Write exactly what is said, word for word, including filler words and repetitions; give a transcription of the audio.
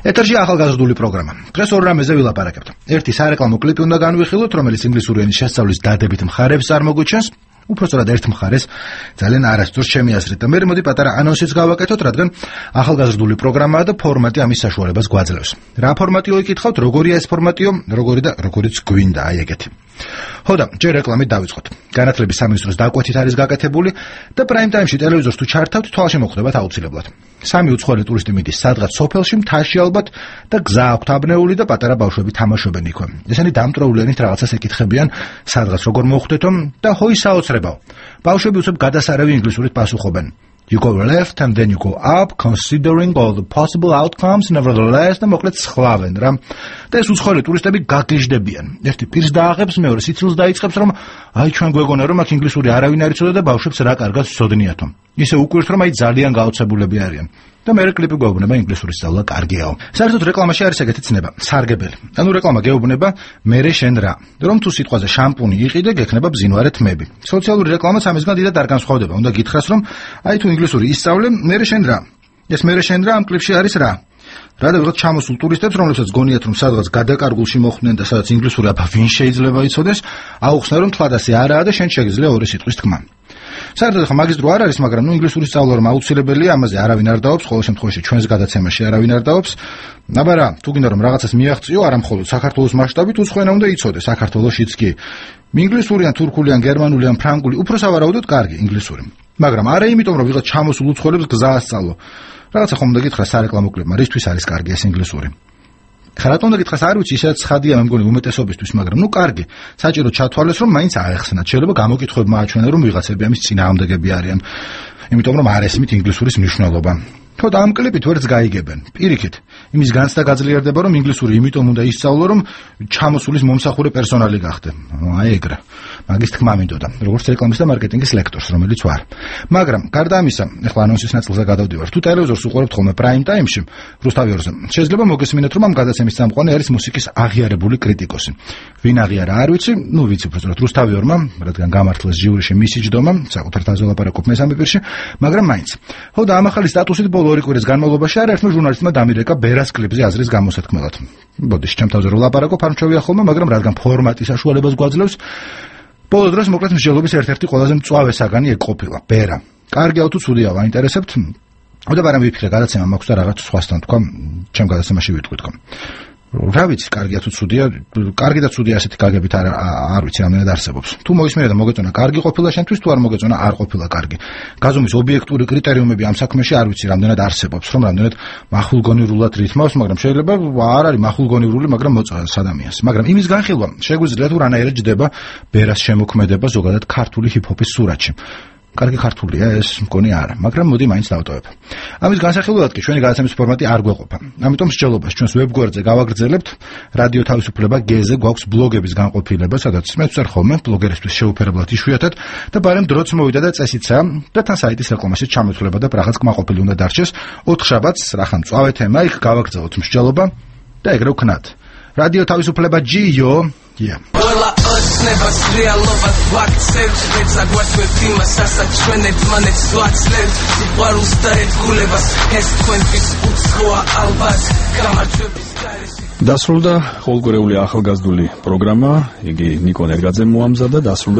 ეთერში ახალგაზრდული პროგრამა. დღეს ორ რამეზე ვილაპარაკებთ. ერთი სარეკლამო კლიპი უნდა განვიხილოთ, რომელიც ინგლისური ენის შესწავლის დადებით მხარებს წარმოგვიჩენს. უпростоრად ერთ მხარეს ძალიან არასდროს ჩემი აზრით და მე მოდი პატარა ანონსიც გავაკეთოთ, რადგან ახალგაზრდული პროგრამაა და ფორმატი ამის საშუალებას გვაძლევს. რა ფორმატიო იკითხავთ, როგორია ეს ფორმატიო, როგორი და როგორიც გვინდა, აი ეგეთი. ხოდა, ჯერ რეკლამით დავიწყოთ. განათლების სამინისტროს დაკვეთით არის გაკეთებული და პრაიმ ტაიმში ტელევიზორს თუ ჩართავთ, თვალში მოხვდებათ აუცილებლად. სამი უცხოელი ტურისტი მიდის სადღაც სოფელში, მთაში ალბათ და გზა აქვთ აბნეული და პატარა ბავშვები თამაშობენ იქვე. ესენი დამტროულენით რაღაცას ეკითხებიან, სადღაც როგორ მოხვდეთო და ჰოი საოცრებაო. ბავშვები უცებ გადასარავი ინგლისურით პასუხობენ. You go left and then you go up, considering all the possible outcomes, nevertheless, და მოკლედ სხლავენ რა. და ეს უცხოელი ტურისტები გაგიჟდებიან. ერთი პირს დააღებს, მეორე სიცილს დაიწყებს, რომ აი ჩვენ გვეგონა რომ აქ ინგლისური არავინ არ იცოდა და ბავშვებს რა კარგად სცოდნიათო. ისე უკვირთ რომ აი ძალიან გაოცებულები არიან. და მე კლიპი გვეუბნება ინგლისურის სწავლა კარგიაო. საერთოდ რეკლამაში არის ეგეთი ცნება, სარგებელი. ანუ რეკლამა გეუბნება მერე შენ რა. რომ თუ სიტყვაზე შამპუნი იყიდე, გექნება ბზინვარე თმები. სოციალური რეკლამაც ამისგან დიდად არ განსხვავდება. უნდა გითხრას რომ აი თუ ინგლისური ისწავლე, მერე შენ რა. ეს მერე შენ რა ამ კლიპში არის რა. რა და ვიღაც ჩამოსულ ტურისტებს, რომლებსაც გონიათ რომ სადღაც გადაკარგულში მოხვდნენ და სადაც ინგლისური აბა ვინ შეიძლება იცოდეს, აუხსნა რომ თქვა ასე არაა და შენ შეგიძლია ორი სიტყვის თქმა. საერთოდ ხა მაგის დრო არ არის, მაგრამ ნუ ინგლისური სწავლა რომ აუცილებელია, ამაზე არავინ არ დაობს, ყოველ შემთხვევაში ჩვენს გადაცემაში არავინ არ დაობს. აბა რა, თუ გინდა რომ რაღაცას მიაღწიო, არა მხოლოდ საქართველოს მასშტაბით, უცხოენა უნდა იცოდე, საქართველოშიც კი. ინგლისური ან თურქული ან გერმანული ან ფრანგული, უფრო სავარაუდოდ კარგი ინგლისური. მაგრამ არა იმიტომ რომ ვიღაც ჩამოსულ უცხოელებს გზა ასწავლო. რაღაცა ხომ უნდა გითხრა სარეკლამო კლიპმა, რისთვის არის კარგი ეს ინგლისური. ხარატ უნდა გითხრას, არ ვიცი, ისაც ცხადია მე მგონი უმეტესობისთვის, მაგრამ ნუ კარგი. საჭირო ჩათვალეს რომ მაინც აეხსნათ. შეიძლება გამოკითხვები მააჩვენა რომ ვიღაცები ამის წინააღმდეგები არიან. იმიტომ რომ არ ესმით ინგლისურის მნიშვნელობა. თორე ამ კლიპით ვერც გაიგებენ. პირიქით, იმის განცდა გაძლიერდება რომ ინგლისური იმიტომ უნდა ისწავლო რომ ჩამოსულის მომსახურე პერსონალი გახდე. აი ეგრე. მაგის თქმა მინდოდა, როგორც რეკლამის და მარკეტინგის ლექტორს, რომელიც ვარ. მაგრამ გარდა ამისა, ეხლა ანონსის ნაწილზე გადავდივარ. თუ ტელევიზორს უყურებთ ხოლმე პრაიმ ტაიმში, რუსთავიორზე, შეიძლება მოგესმინეთ რომ ამ გადაცემის წამყვანი არის მუსიკის აღიარებული კრიტიკოსი. ვინ აღიარა არ ვიცი, ნუ ვიცი უბრალოდ რუსთავიორმა, რადგან გამართლეს ჟიურიში მისი ჯდომა, საკუთარ თავს ველაპარაკობ მესამე პირში, მაგრამ მაინც. ხოდა ამ ახალი სტატუსით ბოლო ორი კვირის განმავლობაში არაერთმა ჟურნალისტმა დამირეკა ბერას კლიპზე აზრის გამოსათქმელად. ბოდიში ჩემ თავზე ველაპარაკობ, არ მჩვევია ხოლმე, მაგრამ რადგან ფორმატი საშუალებას გვაძლევს, ბოლო დროს მოკლედ მსჯელობის ერთ-ერთი ყველაზე მწვავე საგანი ეგ ყოფილა, ბერა. კარგია თუ ცუდია, ვაინტერესებთ? ოდა მაგრამ ვიფიქრე, გადაცემა მაქვს და რაღაც სხვასთან თქვა, ჩემ გადაცემაში ვიტყვი თქვა. რა ვიცი, კარგია თუ ცუდია, კარგი და ცუდი ასეთი გაგებით არ არ ვიცი რამდენად არსებობს. თუ მოისმენე და მოგეწონა კარგი ყოფილა შენთვის, თუ არ მოგეწონა არ ყოფილა კარგი. გაზომვის ობიექტური კრიტერიუმები ამ საქმეში არ ვიცი რამდენად არსებობს, რომ რამდენად მახულგონივრულად რითმავს, მაგრამ შეიძლება არ არის მახულგონივრული, მაგრამ მოწონს ადამიანს. მაგრამ იმის განხილვა შეგვიძლია თუ რანაირად ჯდება ბერას შემოქმედება ზოგადად ქართული ჰიპ-ჰოპის სურათში. კარგი ქართულია ეს მგონი არა, მაგრამ მოდი მაინც დავტოვებ. ამის განსახილველად კი ჩვენი გადაცემის ფორმატი არ გვეყოფა. ამიტომ მსჯელობას ჩვენს ვებგვერდზე გავაგრძელებთ. რადიო თავისუფლება გ-ზე გვაქვს ბლოგების განყოფილება, სადაც მეც ვარ ხოლმე ბლოგერისთვის შეუფერებლად იშვიათად და ბარემ დროც მოვიდა და წესიცა და თან საიტის რეკლამაშიც ჩამოთვლება და რაღაც კმაყოფილი უნდა დარჩეს. ოთხ შაბათს რახან მწვავე თემა, იქ გავაგრძელოთ მსჯელობა და ეგრე ვქნათ. რადიო თავისუფლება ჯი-იო, yeah. Never რეალობა ვაქცევს მეცაგვასვებ იმას ასაც ჩვენ ერთმანეთს ვაცლებთ სიყვარულს და ერთგულებას ეს თქვენთვის უცხოა ალბათ გამარჯვების გარეშე დასრულდა ყოველკვირეული ახალგაზრდული პროგრამა იგი ნიკო ნერგაძემ მოამზადა დასრულდა